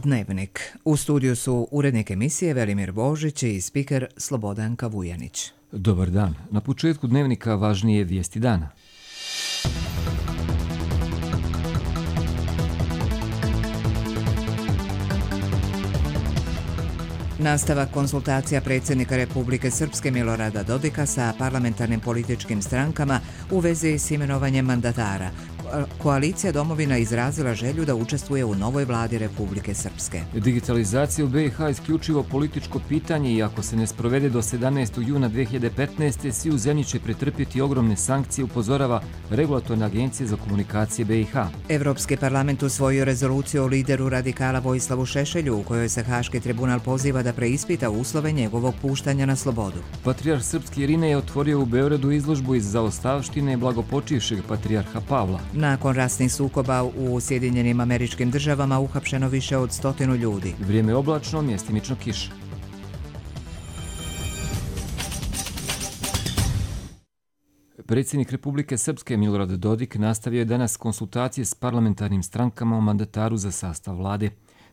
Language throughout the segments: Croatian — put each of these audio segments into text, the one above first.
Dnevnik. U studiju su urednik emisije Velimir Božić i spiker Slobodanka Vujanić. Dobar dan. Na početku Dnevnika važnije vijesti dana. Nastavak konsultacija predsjednika Republike Srpske Milorada Dodika sa parlamentarnim političkim strankama u vezi s imenovanjem mandatara. Koalicija Domovina izrazila želju da učestvuje u novoj vladi Republike Srpske. Digitalizacija u BiH isključivo političko pitanje i ako se ne sprovede do 17. juna 2015. svi u zemlji će pretrpjeti ogromne sankcije, upozorava Regulatorna agencija za komunikacije BiH. Evropski parlament usvojio rezoluciju o lideru radikala Vojislavu Šešelju u kojoj se Haški tribunal poziva da preispita uslove njegovog puštanja na slobodu. Patrijarh srpski Irine je otvorio u Beogradu izložbu iz zaostavštine blagopočivšeg patrijarha Pavla. Nakon ratnih sukoba u Sjedinjenim Američkim Državama uhapšeno više od 100 ljudi. Vrijeme je oblačno, mjestimično kiša. Predsjednik Republike Srpske Milorad Dodik nastavio je danas konsultacije s parlamentarnim strankama o mandataru za sastav vlade.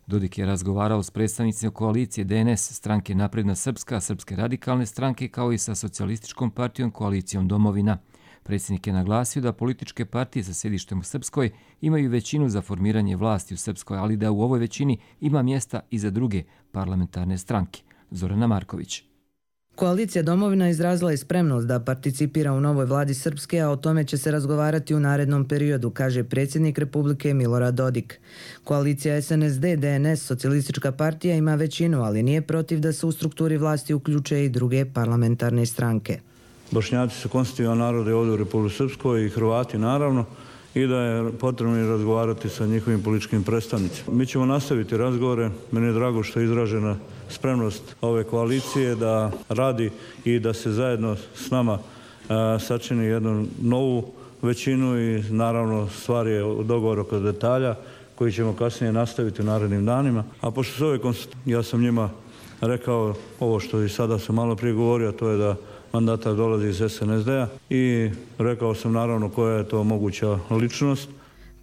Dodik je razgovarao s predstavnicima koalicije DNS, stranke Napredna Srpska, Srpske radikalne stranke, kao i sa socijalističkom partijom Koalicijom Domovina. Predsjednik je naglasio da političke partije sa sjedištem u Srpskoj imaju većinu za formiranje vlasti u Srpskoj, ali da u ovoj većini ima mjesta i za druge parlamentarne stranke. Zorana Marković. Koalicija Domovina izrazila je spremnost da participira u novoj vladi Srpske, a o tome će se razgovarati u narednom periodu, kaže predsjednik Republike Milorad Dodik. Koalicija SNSD, DNS, Socijalistička partija ima većinu, ali nije protiv da se u strukturi vlasti uključe i druge parlamentarne stranke. Bošnjaci su konstitutivan narod ovdje u Republici Srpskoj i Hrvati naravno, i da je potrebno razgovarati sa njihovim političkim predstavnicima. Mi ćemo nastaviti razgovore. Meni je drago što je izražena spremnost ove koalicije da radi i da se zajedno s nama sačini jednu novu većinu i naravno stvar je dogovor oko detalja koji ćemo kasnije nastaviti u narednim danima. A pošto su ove konstitucije, ja sam njima rekao ovo što i sada sam malo prije govorio, to je da mandatar dolazi iz SNSD-a i rekao sam naravno koja je to moguća ličnost.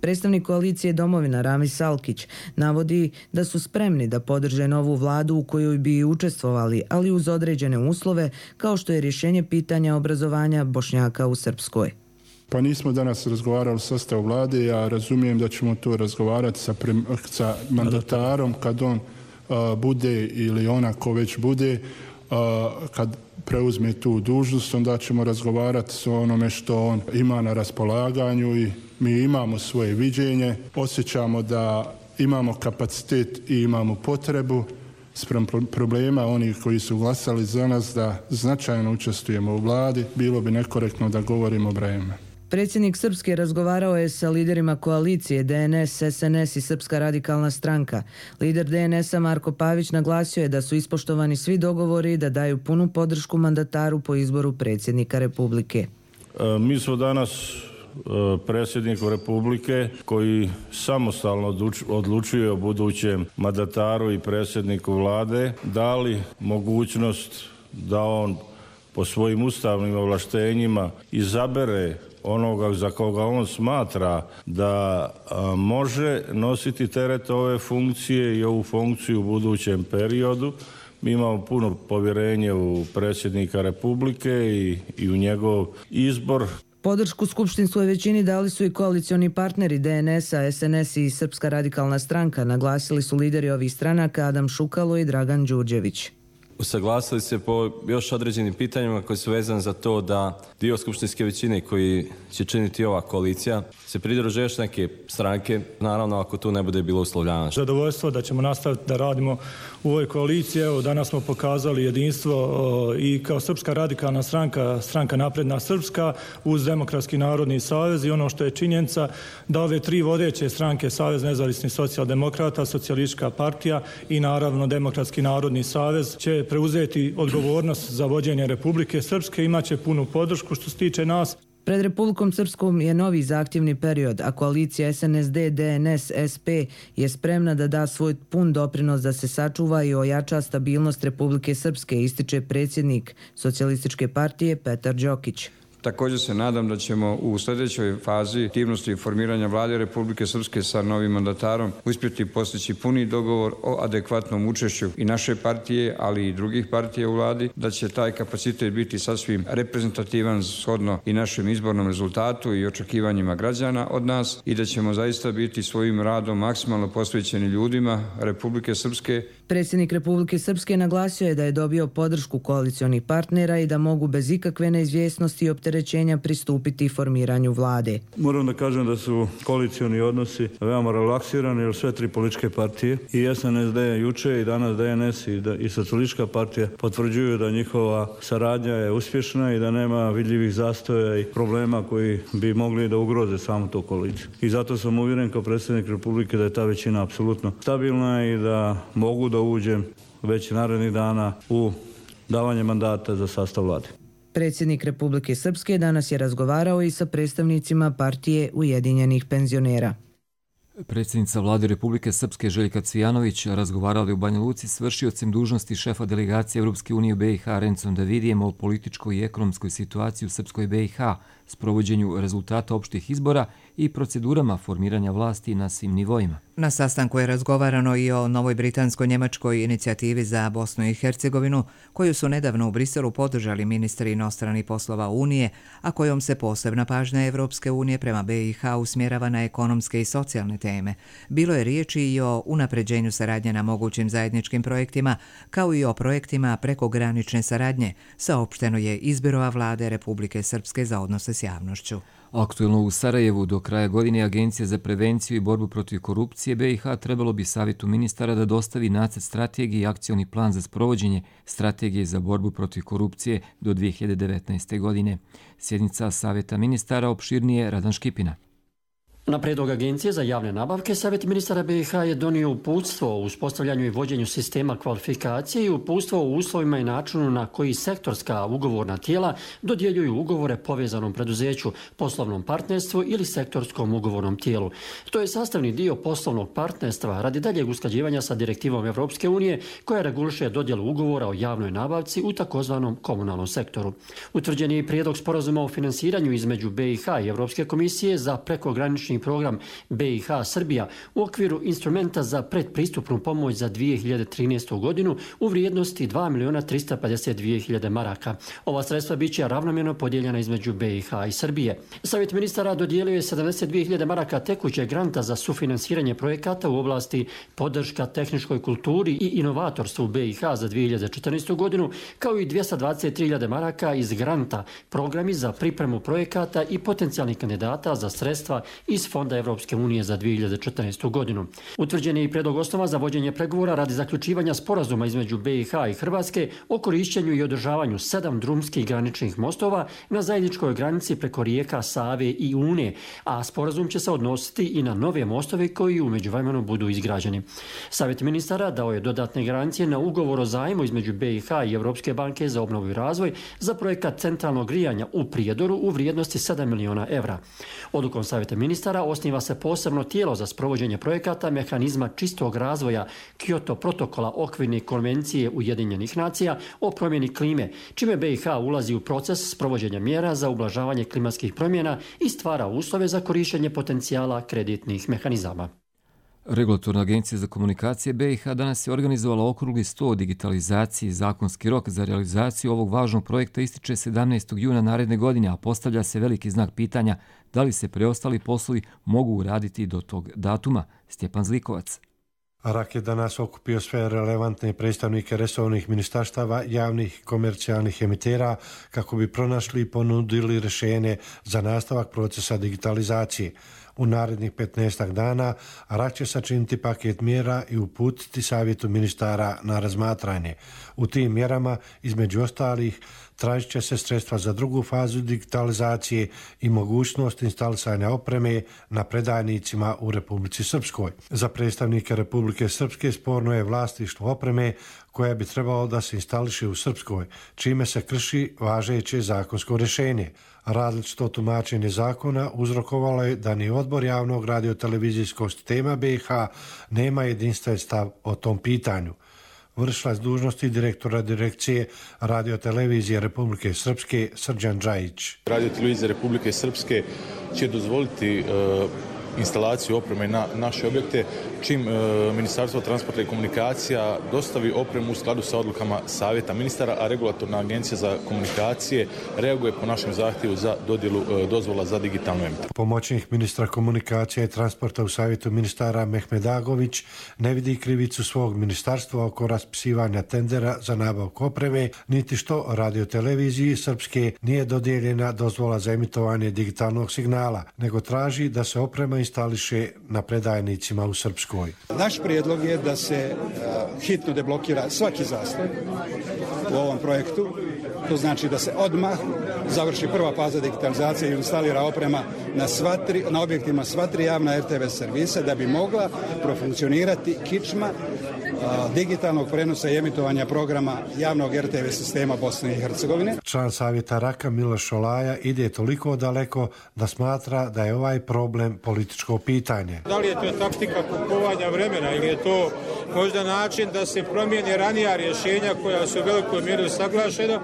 Predstavnik koalicije Domovina Ramiz Salkić navodi da su spremni da podrže novu vladu u kojoj bi učestvovali, ali uz određene uslove, kao što je rješenje pitanja obrazovanja Bošnjaka u Srpskoj. Pa nismo danas razgovarali o sastavu vlade, ja razumijem da ćemo to razgovarati sa mandatarom kad on bude ili ona ko već bude, kad preuzme tu dužnost, onda ćemo razgovarati o onome što on ima na raspolaganju i mi imamo svoje viđenje, osjećamo da imamo kapacitet i imamo potrebu spram problema onih koji su glasali za nas da značajno učestvujemo u vladi, bilo bi nekorektno da govorimo o brojevima. Predsjednik Srpske razgovarao je sa liderima koalicije DNS, SNS i Srpska radikalna stranka. Lider DNS-a Marko Pavić naglasio je da su ispoštovani svi dogovori i da daju punu podršku mandataru po izboru predsjednika Republike. Mi smo danas predsjedniku Republike koji samostalno odlučuje o budućem mandataru i predsjedniku vlade dali mogućnost da on po svojim ustavnim ovlaštenjima izabere onoga za koga on smatra da može nositi teret ove funkcije i ovu funkciju u budućem periodu. Mi imamo puno povjerenje u predsjednika Republike i u njegov izbor. Podršku skupštinskoj većini dali su i koalicioni partneri DNS-a, SNS i Srpska radikalna stranka, naglasili su lideri ovih stranaka Adam Šukalo i Dragan Đurđević. Usaglasili se po još određenim pitanjima koji su vezani za to da dio skupštinske većine koji će činiti ova koalicija se pridruže još neke stranke, naravno ako tu ne bude bilo uslovljavanja. Zadovoljstvo da ćemo nastaviti da radimo u ovoj koaliciji. Evo, danas smo pokazali jedinstvo i kao Srpska radikalna stranka, stranka Napredna Srpska uz Demokratski narodni savez i ono što je činjenica da ove tri vodeće stranke, Savez nezavisnih socijaldemokrata, Socijalistička partija i naravno Demokratski narodni savez će preuzeti odgovornost za vođenje Republike Srpske, imaće punu podršku što se tiče nas. Pred Republikom Srpskom je novi zahtjevni period, a koalicija SNSD, DNS, SP je spremna da da svoj pun doprinos da se sačuva i ojača stabilnost Republike Srpske, ističe predsjednik Socijalističke partije Petar Đokić. Također se nadam da ćemo u sljedećoj fazi aktivnosti formiranja Vlade Republike Srpske sa novim mandatarom uspjeti postići puni dogovor o adekvatnom učešću i naše partije, ali i drugih partija u Vladi, da će taj kapacitet biti sasvim reprezentativan shodno i našem izbornom rezultatu i očekivanjima građana od nas i da ćemo zaista biti svojim radom maksimalno posvećeni ljudima Republike Srpske. Predsjednik Republike Srpske naglasio je da je dobio podršku koalicionih partnera i da mogu bez ikakve neizvjesnosti i opterećenja pristupiti formiranju vlade. Moram da kažem da su koalicioni odnosi veoma relaksirani, jer sve tri političke partije i SNSD juče i danas DNS i Socijalistička partija potvrđuju da njihova saradnja je uspješna i da nema vidljivih zastoja i problema koji bi mogli da ugroze samu tu koaliciju. I zato sam uvjeren kao predsjednik Republike da je ta većina apsolutno stabilna i da mogu da uđem već narednih dana u davanje mandata za sastav vlade. Predsjednik Republike Srpske danas je razgovarao i sa predstavnicima partije Ujedinjenih penzionera. Predsjednica vlade Republike Srpske Željka Cvijanović razgovarala je u Banja Luci s vršiocem dužnosti šefa delegacije Europske unije u BiH Rencom Davidijem o političkoj i ekonomskoj situaciji u Srpskoj BiH, sprovođenju rezultata opštih izbora i procedurama formiranja vlasti na svim nivoima. Na sastanku je razgovarano i o novoj britansko-njemačkoj inicijativi za Bosnu i Hercegovinu, koju su nedavno u Briselu podržali ministri inostranih poslova Unije, a kojom se posebna pažnja Evropske unije prema BiH usmjerava na ekonomske i socijalne teme. Bilo je riječi i o unapređenju saradnje na mogućim zajedničkim projektima, kao i o projektima prekogranične saradnje, saopšteno je iz Biroa vlade Republike Srpske za odnose s javnošću. Aktuelno u Sarajevu do kraja godine Agencija za prevenciju i borbu protiv korupcije BiH trebalo bi Savjetu ministara da dostavi nacrt strategije i akcioni plan za sprovođenje strategije za borbu protiv korupcije do 2019. godine. Sjednica Savjeta ministara opširnije Radan Škipina. Na prijedlog Agencije za javne nabavke, Savjet ministara BiH je donio uputstvo o uspostavljanju i vođenju sistema kvalifikacije i uputstvo o uslovima i načinu na koji sektorska ugovorna tijela dodjeljuju ugovore povezanom preduzeću, poslovnom partnerstvu ili sektorskom ugovornom tijelu. To je sastavni dio poslovnog partnerstva radi daljeg usklađivanja sa direktivom Evropske unije koja reguliše dodjelu ugovora o javnoj nabavci u takozvanom komunalnom sektoru. Utvrđen je i prijedlog sporazuma o finansiranju između BiH i Evropske komisije za prekogranični program BiH Srbija u okviru instrumenta za predpristupnu pomoć za 2013. godinu u vrijednosti 2.352.000 maraka. Ova sredstva bit će ravnomjerno podijeljena između BiH i Srbije. Savjet ministara dodijelio je 72.000 maraka tekućeg granta za sufinansiranje projekata u oblasti podrška tehničkoj kulturi i inovatorstvu BiH za 2014. godinu, kao i 223.000 maraka iz granta, programi za pripremu projekata i potencijalnih kandidata za sredstva iz Fonda Evropske unije za 2014. godinu. Utvrđen je i predlog osnova za vođenje pregovora radi zaključivanja sporazuma između BiH i Hrvatske o korišćenju i održavanju 7 drumskih graničnih mostova na zajedničkoj granici preko rijeka Save i Une, a sporazum će se odnositi i na nove mostove koji u međuvremenu budu izgrađeni. Savjet ministara dao je dodatne garancije na ugovor o zajmu između BiH i Evropske banke za obnovu i razvoj za projekat centralnog grijanja u Prijedoru u vrijednosti 7 miliona evra. Odlukom Savjeta ministara osniva se posebno tijelo za sprovođenje projekata mehanizma čistog razvoja Kyoto protokola okvirne konvencije Ujedinjenih nacija o promjeni klime, čime BiH ulazi u proces sprovođenja mjera za ublažavanje klimatskih promjena i stvara uslove za korištenje potencijala kreditnih mehanizama. Regulatorna agencija za komunikacije BiH danas je organizovala okrugli sto o digitalizaciji. Zakonski rok za realizaciju ovog važnog projekta ističe 17. juna naredne godine, a postavlja se veliki znak pitanja da li se preostali poslovi mogu uraditi do tog datuma. Stjepan Zlikovac. RAK je danas okupio sve relevantne predstavnike resornih ministarstava, javnih komercijalnih emitera kako bi pronašli i ponudili rješenje za nastavak procesa digitalizacije. U narednih 15 dana RAK će sačiniti paket mjera i uputiti Savjetu ministara na razmatranje. U tim mjerama, između ostalih, tražit će se sredstva za drugu fazu digitalizacije i mogućnost instalisanja opreme na predajnicima u Republici Srpskoj. Za predstavnike Republike Srpske sporno je vlasništvo opreme koja bi trebalo da se instališe u Srpskoj, čime se krši važeće zakonsko rješenje. Različito tumačenje zakona uzrokovalo je da ni odbor javnog radiotelevizijskog sistema BiH nema jedinstven stav o tom pitanju. vršilac dužnosti direktora direkcije radiotelevizije Republike Srpske Srđan Džajić. Radiotelevizija Republike Srpske će dozvoliti instalaciju opreme na naše objekte čim Ministarstvo transporta i komunikacija dostavi opremu u skladu sa odlukama Savjeta ministara, a Regulatorna agencija za komunikacije reaguje po našem zahtjevu za dodjelu dozvola za digitalnu emitovanje. Pomoćnik ministra komunikacija i transporta u Savjetu ministara Mehmed Agović ne vidi krivicu svog ministarstva oko raspisivanja tendera za nabavku opreme, niti što radioteleviziji Srpske nije dodijeljena dozvola za emitovanje digitalnog signala, nego traži da se oprema instališe na predajnicima u Srpskoj. Naš prijedlog je da se hitno deblokira svaki zastoj u ovom projektu. To znači da se odmah završi prva faza digitalizacije i instalira oprema na objektima sva tri javna RTV servisa da bi mogla profunkcionirati kičma digitalnog prenosa i emitovanja programa javnog RTV sistema Bosne i Hercegovine. Član Savjeta Raka Miloš Šolaja ide toliko daleko da smatra da je ovaj problem političko pitanje. Da li je to taktika kupovanja vremena ili je to možda način da se promijene ranija rješenja koja su u velikoj mjeri usaglašena?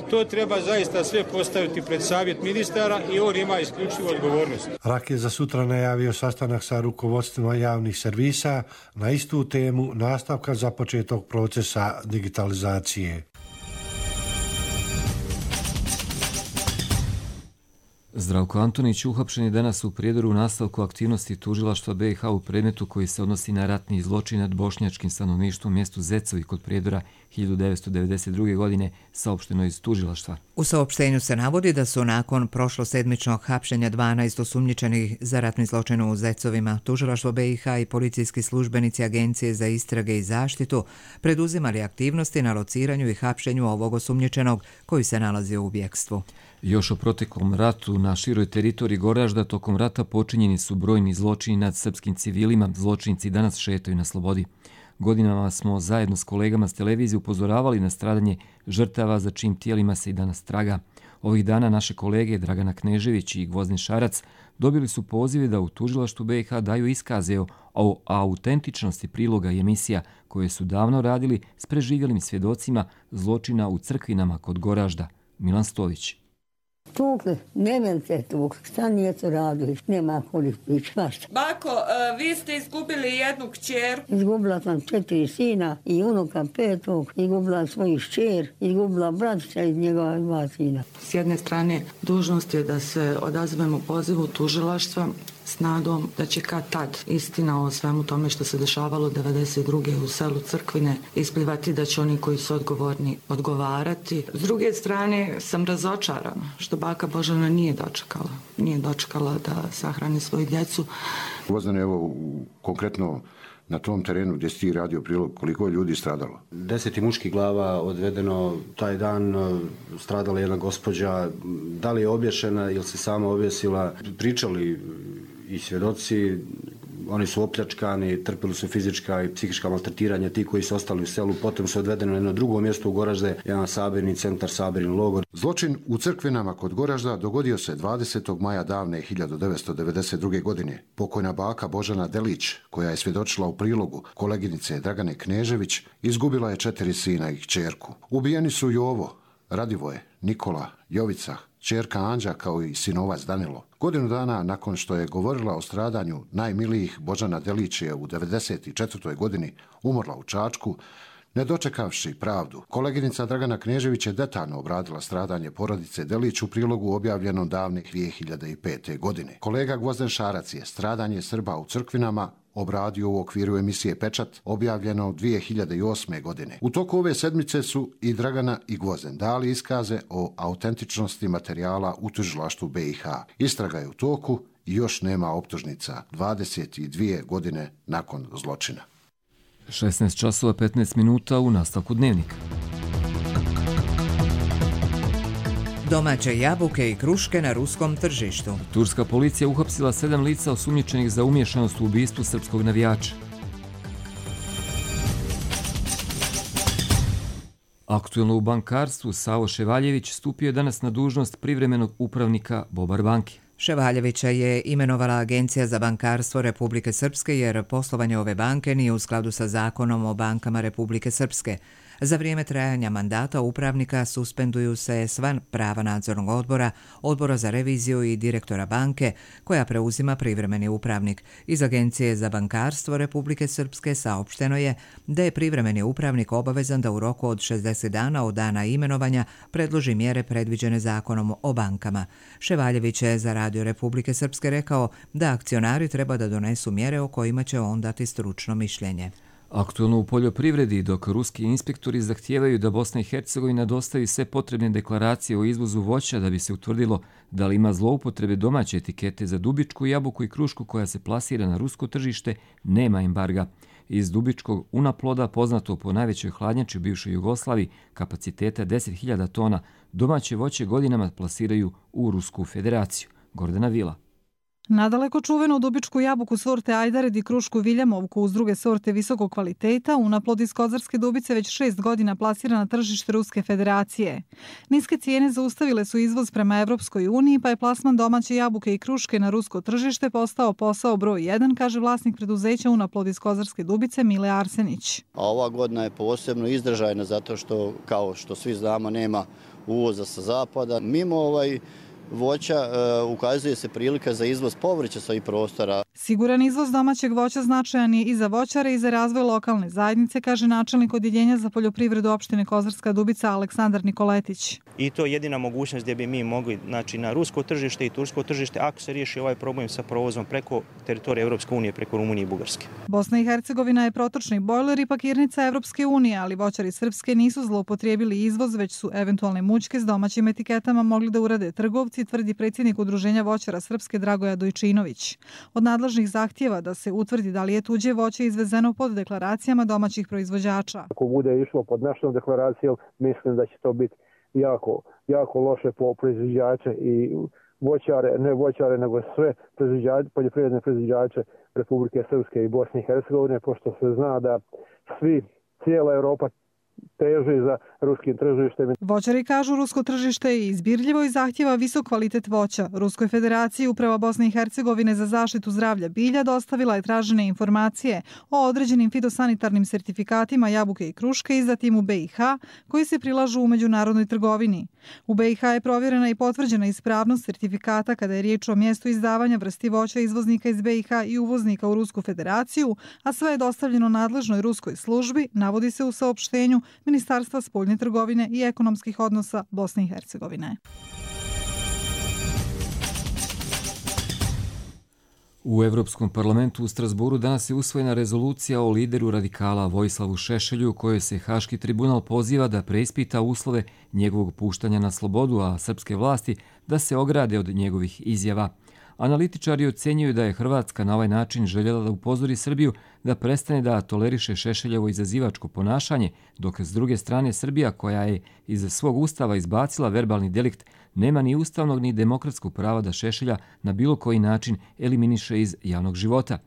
To treba zaista sve postaviti pred Savjet ministara i on ima isključivu odgovornost. Rak je za sutra najavio sastanak sa rukovodstvima javnih servisa na istu temu nastavka započetog procesa digitalizacije. Zdravko Antonić uhapšen je danas u Prijedoru u nastavku aktivnosti tužilaštva BiH u predmetu koji se odnosi na ratni zločin nad bošnjačkim stanovništvom u mjestu Zecovi kod Prijedora 1992. godine, saopšteno iz tužilaštva. U saopštenju se navodi da su nakon prošlosedmičnog hapšenja 12 osumnjičenih za ratni zločin u Zecovima, tužilaštvo BiH i policijski službenici Agencije za istrage i zaštitu preduzimali aktivnosti na lociranju i hapšenju ovog osumnjičenog koji se nalazi u bjekstvu. Još o proteklom ratu na široj teritoriji Goražda tokom rata počinjeni su brojni zločini nad srpskim civilima. Zločinci danas šetaju na slobodi. Godinama smo zajedno s kolegama s televizije upozoravali na stradanje žrtava za čijim tijelima se i danas traga. Ovih dana naše kolege Dragana Knežević i Gvozden Šarac dobili su pozive da u tužilaštvu BiH daju iskaze o autentičnosti priloga i emisija koje su davno radili s preživjelim svjedocima zločina u Crkvinama kod Goražda. Milan Stović. Tukli, ne meni te tukli, šta nije to radili, nema kolik prič, mašta. Bako, vi ste izgubili jednu kćer. Izgubila sam 4 sina i unuka 5, izgubila svoju šćer, izgubila bratića iz njegova 2 sina. S jedne strane, dužnost je da se odazvemo pozivu tužilaštva s nadom da će kad tad istina o svemu tome što se dešavalo 92. u selu Crkvine isplivati, da će oni koji su odgovorni odgovarati. S druge strane sam razočarana što baka Božana nije dočekala da sahrani svoju djecu. Gvozdane, evo konkretno na tom terenu gdje si ti radio prilog, koliko je ljudi stradalo? 10 muških glava odvedeno taj dan, stradala jedna gospođa, da li je obješena ili se sama objesila, pričali i svjedoci, oni su opljačkani, trpili su fizička i psihička maltretiranja, ti koji su ostali u selu, potom su odvedeni na jedno drugo mjesto u Goražde, jedan sabirni centar, sabirni logor. Zločin u Crkvinama kod Goražda dogodio se 20. maja davne 1992. godine. Pokojna baka Božana Delić, koja je svjedočila u prilogu koleginice Dragane Knežević, izgubila je 4 sina i kćerku. Ubijeni su Jovo, Radivoje, Nikola, Jovica, kćerka Anđa kao i sinovac Danilo. Godinu dana nakon što je govorila o stradanju najmilijih, Božana Delić je u 1994. godini umrla u Čačku, ne dočekavši pravdu. Koleginica Dragana Knežević je detaljno obradila stradanje porodice Delić u prilogu objavljenom davne 2005. godine. Kolega Gvozden Šarac je stradanje Srba u Crkvinama obradio u okviru emisije Pečat, objavljeno 2008. godine. U toku ove sedmice su i Dragana i Gvozden dali iskaze o autentičnosti materijala u tužilaštvu BiH. Istraga je u toku i još nema optužnica 22 godine nakon zločina. 16 časova 15 minuta u nastavku Dnevnika. Domaće jabuke i kruške na ruskom tržištu. Turska policija uhapsila 7 lica osumnjičenih za umiješanost u ubistvu srpskog navijača. Aktuelno u bankarstvu Savo Ševaljević stupio je danas na dužnost privremenog upravnika Bobar banke. Ševaljevića je imenovala Agencija za bankarstvo Republike Srpske jer poslovanje ove banke nije u skladu sa zakonom o bankama Republike Srpske. Za vrijeme trajanja mandata upravnika suspenduju se sva prava nadzornog odbora, odbora za reviziju i direktora banke, koja preuzima privremeni upravnik. Iz Agencije za bankarstvo Republike Srpske saopšteno je da je privremeni upravnik obavezan da u roku od 60 dana od dana imenovanja predloži mjere predviđene zakonom o bankama. Ševaljević je za Radio Republike Srpske rekao da akcionari treba da donesu mjere o kojima će on dati stručno mišljenje. Aktualno u poljoprivredi, dok ruski inspektori zahtijevaju da Bosna i Hercegovina dostavi sve potrebne deklaracije o izvozu voća da bi se utvrdilo da li ima zloupotrebe domaće etikete za dubičku, jabuku i krušku koja se plasira na rusko tržište, nema embarga. Iz dubičkog unaploda, poznato po najvećoj hladnjači u bivšoj Jugoslaviji, kapaciteta 10.000 tona, domaće voće godinama plasiraju u Rusku federaciju. Gordana Vila. Nadaleko čuvenu dubičku jabuku sorte Ajdared i krušku Viljamovku uz druge sorte visokog kvaliteta, unaplod iz Kozarske dubice već 6 godina plasira na tržište Ruske federacije. Niske cijene zaustavile su izvoz prema Evropskoj uniji, pa je plasman domaće jabuke i kruške na rusko tržište postao posao broj 1, kaže vlasnik preduzeća unaplod iz Kozarske dubice Mile Arsenić. A ova godina je posebno izdržajna zato što, kao što svi znamo, nema uvoza sa zapada. Mimo voća ukazuje se prilika za izvoz povrća sa ovih prostora. Siguran izvoz domaćeg voća značajan je i za voćare i za razvoj lokalne zajednice, kaže načelnik Odjeljenja za poljoprivredu opštine Kozarska Dubica Aleksandar Nikoletić. I to je jedina mogućnost gdje bi mi mogli, znači na rusko tržište i tursko tržište, ako se riješi ovaj problem sa provozom preko teritorije Evropske unije, preko Rumunije i Bugarske. Bosna i Hercegovina je protočni bojler i pakirnica Evropske unije, ali voćari Srpske nisu zloupotrijebili izvoz, već su eventualne mućke s domaćim etiketama mogli da urade trgovci, tvrdi predsjednik Udruženja voćara Srpske Dragoja Dojčinović. Od nadležnih zahtjeva da se utvrdi da li je tuđe voće izvezeno pod deklaracijama domaćih proizvođača. Ako bude išlo pod našom deklaracijom, mislim da će to biti jako loše po proizvođače i voćare, ne voćare, nego sve poljoprivredne proizvođače Republike Srpske i Bosne i Hercegovine, pošto se zna da cijela Europa teži za ruskim tržištem. Voćari kažu rusko tržište je izbirljivo i zahtjeva visok kvalitet voća. Ruskoj federaciji Uprava Bosne i Hercegovine za zaštitu zdravlja bilja dostavila je tražene informacije o određenim fitosanitarnim sertifikatima jabuke i kruške izdatim u BiH koji se prilažu u međunarodnoj trgovini. U BiH je provjerena i potvrđena ispravnost sertifikata kada je riječ o mjestu izdavanja vrsti voća izvoznika iz BiH i uvoznika u Rusku federaciju, a sve je dostavljeno nadležnoj ruskoj službi, navodi se u saopštenju Ministarstva spoljne trgovine i ekonomskih odnosa Bosne i Hercegovine. U Evropskom parlamentu u Strasburu danas je usvojena rezolucija o lideru radikala Vojislavu Šešelju, u kojoj se Haški tribunal poziva da preispita uslove njegovog puštanja na slobodu, a srpske vlasti da se ograde od njegovih izjava. Analitičari ocenjuju da je Hrvatska na ovaj način željela da upozori Srbiju da prestane da toleriše Šešeljevo izazivačko ponašanje, dok s druge strane Srbija, koja je iz svog ustava izbacila verbalni delikt, nema ni ustavnog ni demokratskog prava da Šešelja na bilo koji način eliminiše iz javnog života.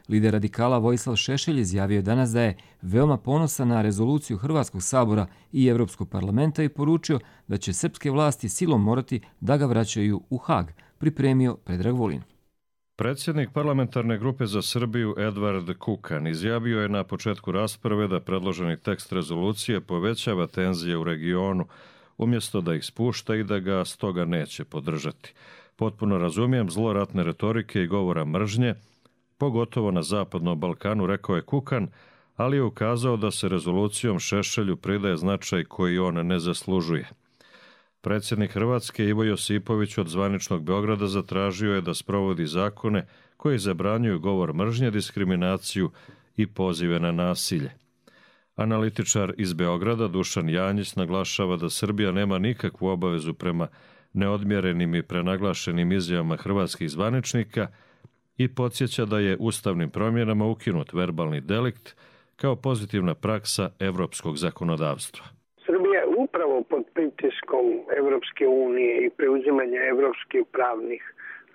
Lider radikala Vojislav Šešelj izjavio je danas da je veoma ponosan na rezoluciju Hrvatskog sabora i Evropskog parlamenta i poručio da će srpske vlasti silom morati da ga vraćaju u Hag, pripremio Predrag Vulin. Predsjednik parlamentarne grupe za Srbiju Edvard Kukan izjavio je na početku rasprave da predloženi tekst rezolucije povećava tenzije u regionu, umjesto da ih spušta i da ga stoga neće podržati. Potpuno razumijem zlo ratne retorike i govora mržnje, pogotovo na Zapadnom Balkanu, rekao je Kukan, ali je ukazao da se rezolucijom Šešelju pridaje značaj koji on ne zaslužuje. Predsjednik Hrvatske Ivo Josipović od zvaničnog Beograda zatražio je da sprovodi zakone koji zabranjuju govor mržnje, diskriminaciju i pozive na nasilje. Analitičar iz Beograda Dušan Janjić naglašava da Srbija nema nikakvu obavezu prema neodmjerenim i prenaglašenim izjavama hrvatskih zvaničnika i podsjeća da je ustavnim promjenama ukinut verbalni delikt kao pozitivna praksa evropskog zakonodavstva. Srbija je upravo pod pritiskom Evropske unije i preuzimanja evropskih pravnih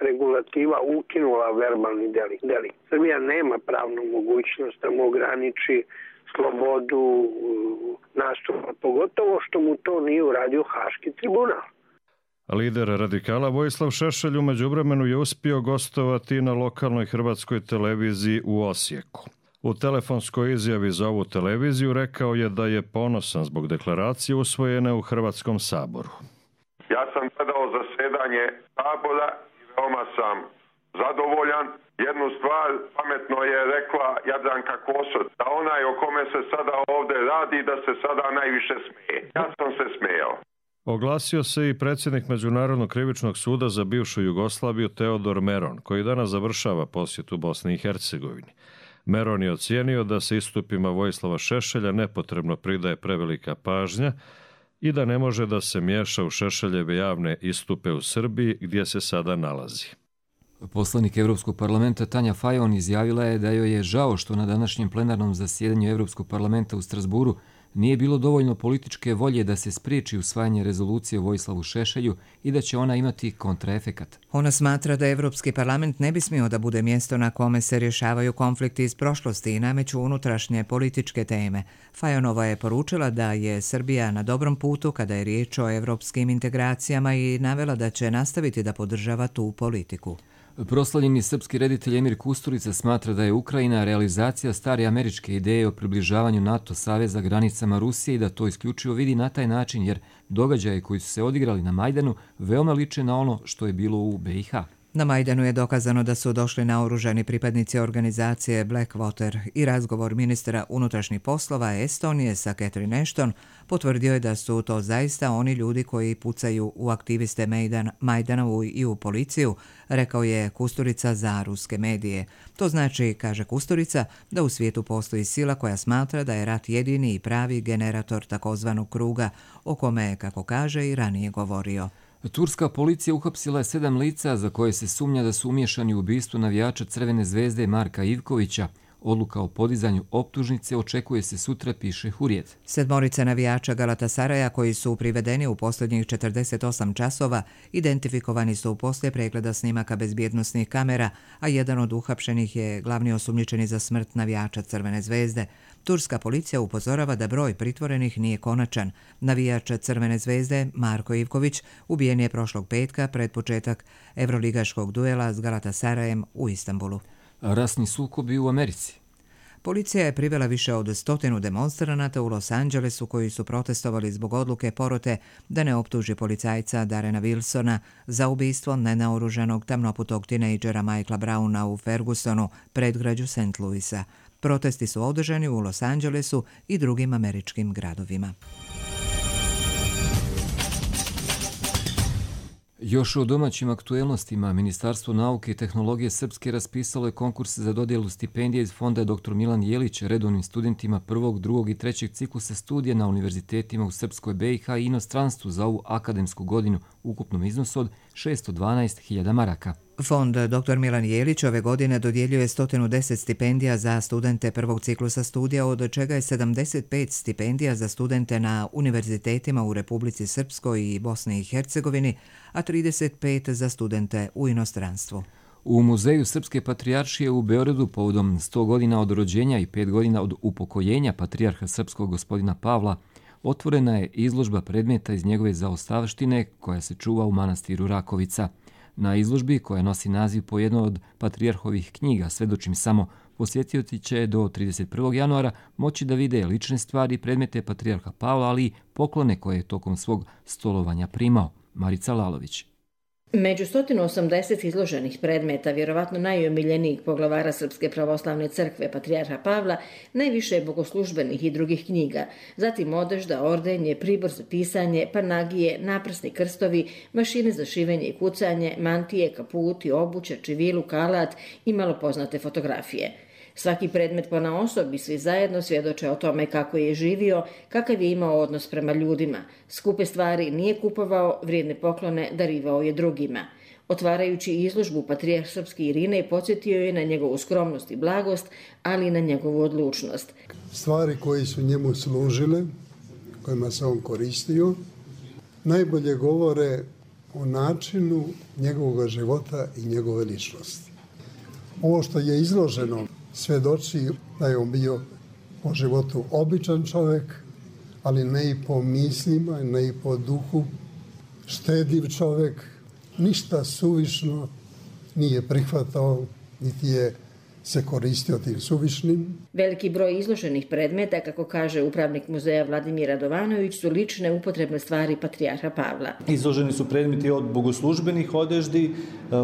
regulativa ukinula verbalni delikt. Srbija nema pravnu mogućnost da mu ograniči slobodu nastupa, pogotovo što mu to nije uradio Haški tribunal. Lider radikala Vojislav Šešelj u međuvremenu je uspio gostovati na lokalnoj hrvatskoj televiziji u Osijeku. U telefonskoj izjavi za ovu televiziju rekao je da je ponosan zbog deklaracije usvojene u Hrvatskom saboru. Ja sam gledao zasjedanje Sabora i veoma sam zadovoljan. Jednu stvar pametno je rekla Jadranka Kosor, da onaj o kome se sada ovdje radi, da se sada najviše smeje. Ja sam se smejao. Oglasio se i predsjednik Međunarodnog krivičnog suda za bivšu Jugoslaviju Teodor Meron, koji danas završava posjetu Bosni i Hercegovini. Meron je ocijenio da se istupima Vojislava Šešelja nepotrebno pridaje prevelika pažnja i da ne može da se miješa u Šešeljeve javne istupe u Srbiji gdje se sada nalazi. Poslanik Europskog parlamenta Tanja Fajon izjavila je da joj je žao što na današnjem plenarnom zasjedanju Europskog parlamenta u Strasburu nije bilo dovoljno političke volje da se spriječi usvajanje rezolucije o Vojislavu Šešelju i da će ona imati kontraefekat. Ona smatra da Europski parlament ne bi smio da bude mjesto na kome se rješavaju konflikti iz prošlosti i nameću unutrašnje političke teme. Fajonova je poručila da je Srbija na dobrom putu kada je riječ o europskim integracijama i navela da će nastaviti da podržava tu politiku. Proslavljeni srpski reditelj Emir Kusturica smatra da je Ukrajina realizacija stare američke ideje o približavanju NATO saveza granicama Rusije i da to isključivo vidi na taj način jer događaje koji su se odigrali na Majdanu veoma liče na ono što je bilo u BiH. Na Majdanu je dokazano da su došli naoružani pripadnici organizacije Blackwater i razgovor ministra unutrašnjih poslova Estonije sa Catherine Ashton potvrdio je da su to zaista oni ljudi koji pucaju u aktiviste Majdana i u policiju, rekao je Kusturica za ruske medije. To znači, kaže Kusturica, da u svijetu postoji sila koja smatra da je rat jedini i pravi generator takozvanog kruga, o kome, kako kaže, i ranije govorio. Turska policija uhapsila je 7 lica za koje se sumnja da su umiješani u ubistvo navijača Crvene zvezde Marka Ivkovića. Odluka o podizanju optužnice očekuje se sutra, piše Hurrijet. 7 navijača Galatasaraja koji su privedeni u posljednjih 48 časova identifikovani su poslije pregleda snimaka bezbjednosnih kamera, a jedan od uhapšenih je glavni osumnjičeni za smrt navijača Crvene zvezde. Turska policija upozorava da broj pritvorenih nije konačan. Navijač Crvene zvezde Marko Ivković ubijen je prošlog petka pred početak evroligaškog duela s Galatasarajem u Istanbulu. Rasni sukobi u Americi. Policija je privela više od 100 demonstranata u Los Angelesu koji su protestovali zbog odluke porote da ne optuži policajca Darrena Wilsona za ubistvo nenaoružanog tamnoputog tinejdžera Michaela Browna u Fergusonu, predgrađu St. Louisa. Protesti su održani u Los Angelesu i drugim američkim gradovima. Još o domaćim aktuelnostima, Ministarstvo nauke i tehnologije Srpske raspisalo je konkurs za dodjelu stipendije iz fonda dr. Milan Jelić redovnim studentima 1., 2. i 3. ciklusa studija na univerzitetima u Srpskoj BiH i inostranstvu za ovu akademsku godinu u ukupnom iznosu od 612.000 maraka. Fond dr. Milan Jelić ove godine dodjeljuje 110 stipendija za studente 1. ciklusa studija, od čega je 75 stipendija za studente na univerzitetima u Republici Srpskoj i Bosni i Hercegovini, a 35 za studente u inostranstvu. U Muzeju Srpske patrijaršije u Beogradu povodom 100 godina od rođenja i 5 godina od upokojenja patrijarha srpskog gospodina Pavla otvorena je izložba predmeta iz njegove zaostavštine koja se čuva u manastiru Rakovica. Na izložbi, koja nosi naziv po jednoj od patrijarhovih knjiga Svedočim samo, posjetioci će do 31. januara moći da vide lične stvari i predmete patrijarha Pavla, ali i poklone koje je tokom svog stolovanja primao. Marica Lalović. Među 180 izloženih predmeta, vjerovatno najomiljenijih poglavara Srpske pravoslavne crkve patrijarha Pavla, najviše je bogoslužbenih i drugih knjiga, zatim odežda, ordenje, pribor za pisanje, panagije, naprsni krstovi, mašine za šivenje i kucanje, mantije, kaputi, obuća, čivilu, kalat i malo poznate fotografije. Svaki predmet ponaosob i svi zajedno svjedoče o tome kako je živio, kakav je imao odnos prema ljudima. Skupe stvari nije kupovao, vrijedne poklone darivao je drugima. Otvarajući izložbu, patrijarh srpski Irinej podsjetio je na njegovu skromnost i blagost, ali i na njegovu odlučnost. Stvari koje su njemu služile, kojima se on koristio, najbolje govore o načinu njegovog života i njegove ličnosti. Ovo što je izloženo svjedoči da je on bio po životu običan čovjek, ali ne i po mislima, ne i po duhu, štediv čovjek, ništa suvišno nije prihvatao, niti je se koristio tim suvišnim. Veliki broj izloženih predmeta, kako kaže upravnik muzeja Vladimir Radovanović, su lične upotrebne stvari patrijarha Pavla. Izloženi su predmeti od bogoslužbenih odeždi,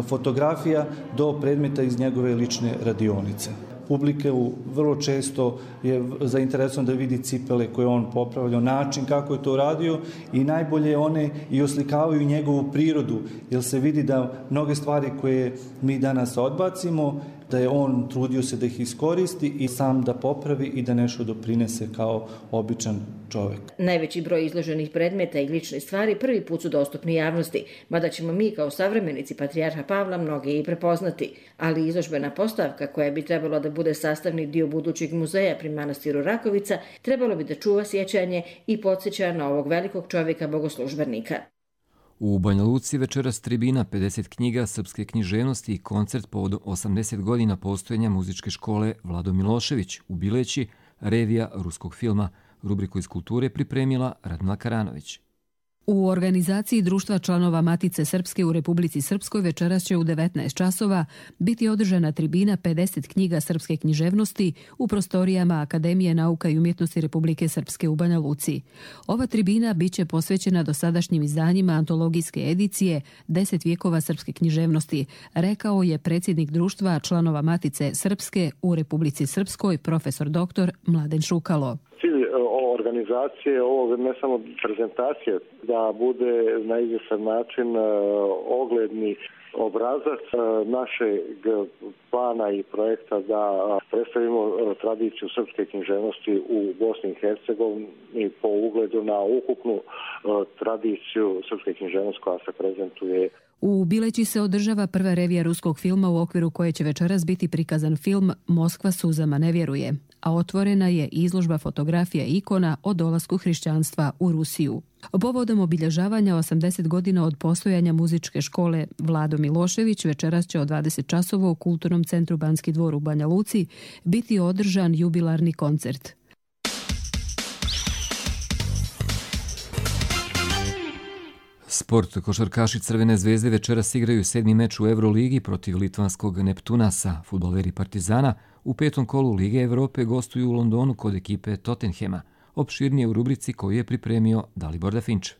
fotografija do predmeta iz njegove lične radionice. Publike vrlo često je zainteresovano da vidi cipele koje on popravljao, način kako je to radio i najbolje one i oslikavaju njegovu prirodu, jer se vidi da mnoge stvari koje mi danas odbacimo, da je on trudio se da ih iskoristi i sam da popravi i da nešto doprinese kao običan čovjek. Najveći broj izloženih predmeta i ličnih stvari prvi put su dostupni javnosti, mada ćemo mi kao savremenici patrijarha Pavla mnoge i prepoznati, ali izložbena postavka koja bi trebalo da bude sastavni dio budućeg muzeja pri manastiru Rakovica trebalo bi da čuva sjećanje i podsjeća na ovog velikog čovjeka bogoslužbenika. U Banja Luci večeras tribina 50 knjiga srpske književnosti i koncert povodom 80 godina postojanja muzičke škole Vlado Milošević u Bileći, revija ruskog filma. Rubriku iz kulture pripremila Radmila Karanović. U organizaciji Društva članova Matice Srpske u Republici Srpskoj večeras će u 19 časova biti održana tribina 50 knjiga srpske književnosti u prostorijama Akademije nauka i umjetnosti Republike Srpske u Banja Luci. Ova tribina biće posvećena dosadašnjim izdanjima antologijske edicije 10 vijekova srpske književnosti, rekao je predsjednik Društva članova Matice Srpske u Republici Srpskoj, profesor dr. Mladen Šukalo. Organizacije ovog, ne samo prezentacije, da bude na izvjestan način ogledni obrazac našeg plana i projekta da predstavimo tradiciju srpske književnosti u Bosni i Hercegovini po ugledu na ukupnu tradiciju srpske književnosti koja se prezentuje. U Bileći se održava prva revija ruskog filma u okviru koje će večeras biti prikazan film Moskva suzama ne vjeruje, a otvorena je izložba fotografija i ikona o dolasku hrišćanstva u Rusiju. Povodom obilježavanja 80 godina od postojanja muzičke škole Vlado Milošević večeras će od 20 časova u Kulturnom centru Banski dvor u Banja Luci biti održan jubilarni koncert. Sport. Košarkaši Crvene zvezde večeras igraju 7. meč u Euroligi protiv litvanskog Neptunasa. Fudbaleri Partizana u 5. kolu Lige Evrope gostuju u Londonu kod ekipe Tottenhema. Opširnije u rubrici koju je pripremio Dalibor Dafinč.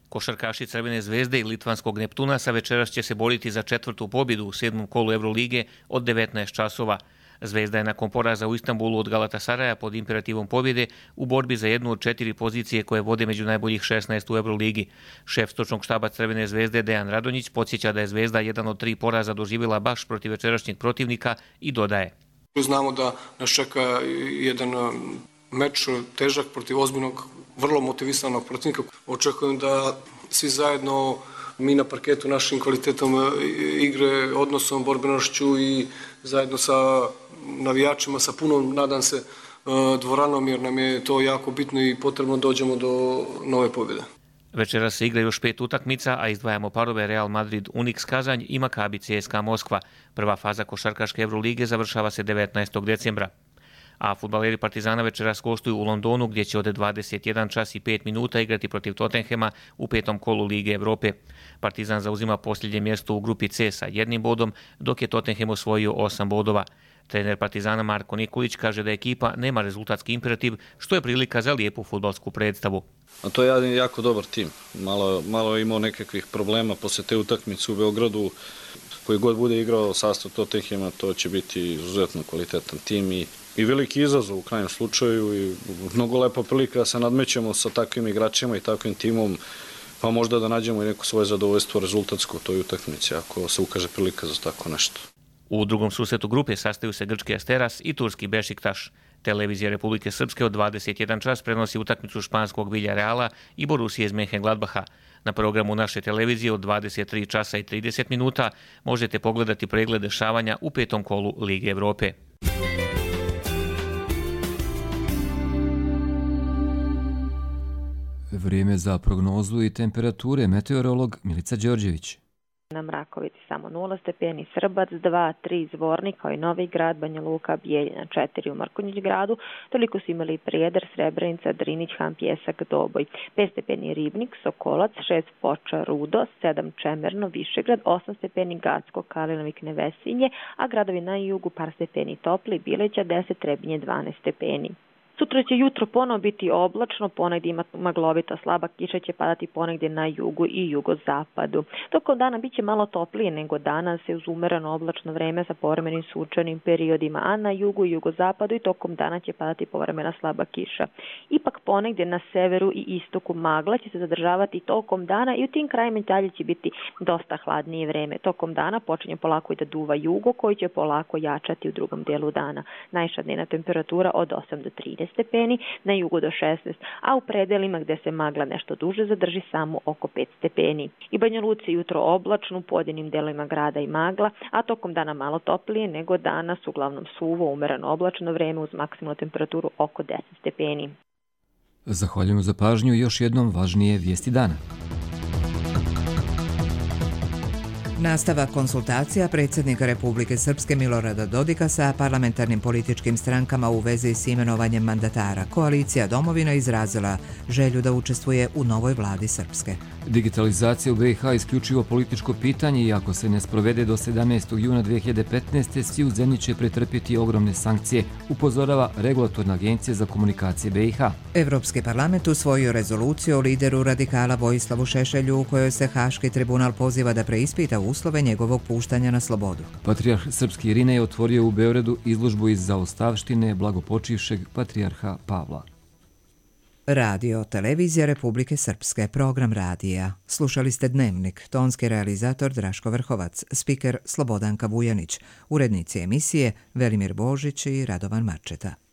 Košarkaši Crvene zvezde i litvanskog Neptunasa večeras će se boriti za 4. pobjedu u 7. kolu Eurolige od 19 časova. Zvezda je nakon poraza u Istanbulu od Galatasaraja pod imperativom pobjede u borbi za jednu od 4 pozicije koje vode među najboljih 16 u Euroligi. Šef stručnog štaba Crvene zvezde Dejan Radonjić podsjeća da je Zvezda jedan od 3 poraza doživjela baš protiv večerašnjeg protivnika i dodaje. Znamo da nas čeka jedan meč težak protiv ozbiljnog, vrlo motivisanog protivnika. Očekujem da svi zajedno mi na parketu našim kvalitetom igre, odnosom, borbenošću i zajedno sa navijačima, sa punom, nadam se, dvoranom, jer nam je to jako bitno i potrebno dođemo do nove pobjede. Večera se igra još 5 utakmica, a izdvajamo parove Real Madrid Unix Kazanj i Maccabi CSKA Moskva. Prva faza košarkaške Evrolige završava se 19. decembra. A fudbaleri Partizana večeras gostuju u Londonu gdje će od 21 čas i 5 minuta igrati protiv Tottenhema u 5. kolu Lige Evrope. Partizan zauzima posljednje mjesto u grupi C sa 1 bodom, dok je Tottenham osvojio 8 bodova. Trener Partizana Marko Nikolić kaže da ekipa nema rezultatski imperativ, što je prilika za lijepu fudbalsku predstavu. A to je jedan jako dobar tim. Malo je imao nekakvih problema poslije te utakmice u Beogradu. Koji god bude igrao sastav Tottenhama, to će biti izuzetno kvalitetan tim i veliki izazov u krajnjem slučaju i mnogo lepa prilika da se nadmećemo sa takvim igračima i takvim timom, pa možda da nađemo i neko svoje zadovoljstvo rezultatsko u toj utakmici ako se ukaže prilika za tako nešto. U drugom susretu grupe sastaju se grčki Asteras i turski Bešiktaš. Televizija Republike Srpske od 21 čas prenosi utakmicu španskog Villarreala i Borusije iz Mönchengladbacha. Na programu naše televizije od 23 časa i 30 minuta možete pogledati pregled dešavanja u 5. kolu Lige Evrope. Vrijeme za prognozu i temperature, meteorolog Milica Đorđević. Na Mrakovici samo 0 stepeni, Srbac 2, 3 Zvornik, kao i Novi Grad, Banja Luka, Bijeljina 4 u Mrkonjić gradu, toliko su imali Prijedor, Srebrenica, Drinić, Han, Pjesak, Doboj, 5 stepeni Ribnik, Sokolac, 6 Foča, Rudo, 7 Čemerno, Višegrad, 8 stepeni Gacko, Kalinovik, Nevesinje, a gradovi na jugu par stepeni Topli, Bileća 10, Trebinje 12 stepeni. Sutra će jutro ponovo biti oblačno, ponegdje ima maglovita slaba kiša, će padati ponegdje na jugu i jugozapadu. Tokom dana bit će malo toplije nego danas, uz umereno oblačno vreme sa povremenim sunčanim periodima, a na jugu i jugozapadu i tokom dana će padati povremena slaba kiša. Ipak ponegdje na severu i istoku magla će se zadržavati tokom dana i u tim krajima dalje će biti dosta hladnije vreme. Tokom dana počinje polako i da duva jugo, koji će polako jačati u drugom dijelu dana. Najviša dnevna temperatura od 8 do 30 stepeni, na jugu do 16, a u predelima gdje se magla nešto duže zadrži samo oko 5 stepeni. I Banja Luci jutro oblačno, u pojedinim delovima grada i magla, a tokom dana malo toplije nego danas, uglavnom suvo, umereno oblačno vreme uz maksimalnu temperaturu oko 10 stepeni. Zahvaljujemo za pažnju i još jednom važnije vijesti dana. Nastavak konsultacija predsjednika Republike Srpske Milorada Dodika sa parlamentarnim političkim strankama u vezi s imenovanjem mandatara. Koalicija Domovina izrazila želju da učestvuje u novoj vladi Srpske. Digitalizacija u BiH je isključivo političko pitanje i ako se ne sprovede do 17. juna 2015. svi u zemlji će pretrpjeti ogromne sankcije, upozorava Regulatorna agencija za komunikacije BiH. Evropski parlament usvojio rezoluciju o lideru radikala Vojislavu Šešelju u kojoj se Haški tribunal poziva da preispita uslove njegovog puštanja na slobodu. Patrijarh Srpski Irinej otvorio u Beogradu izložbu iz zaostavštine blagopočivšeg patrijarha Pavla. Radio Televizija Republike Srpske, program radija. Slušali ste Dnevnik, tonski realizator Draško Vrhovac, spiker Slobodanka Vujanić, urednici emisije Velimir Božić i Radovan Marčeta.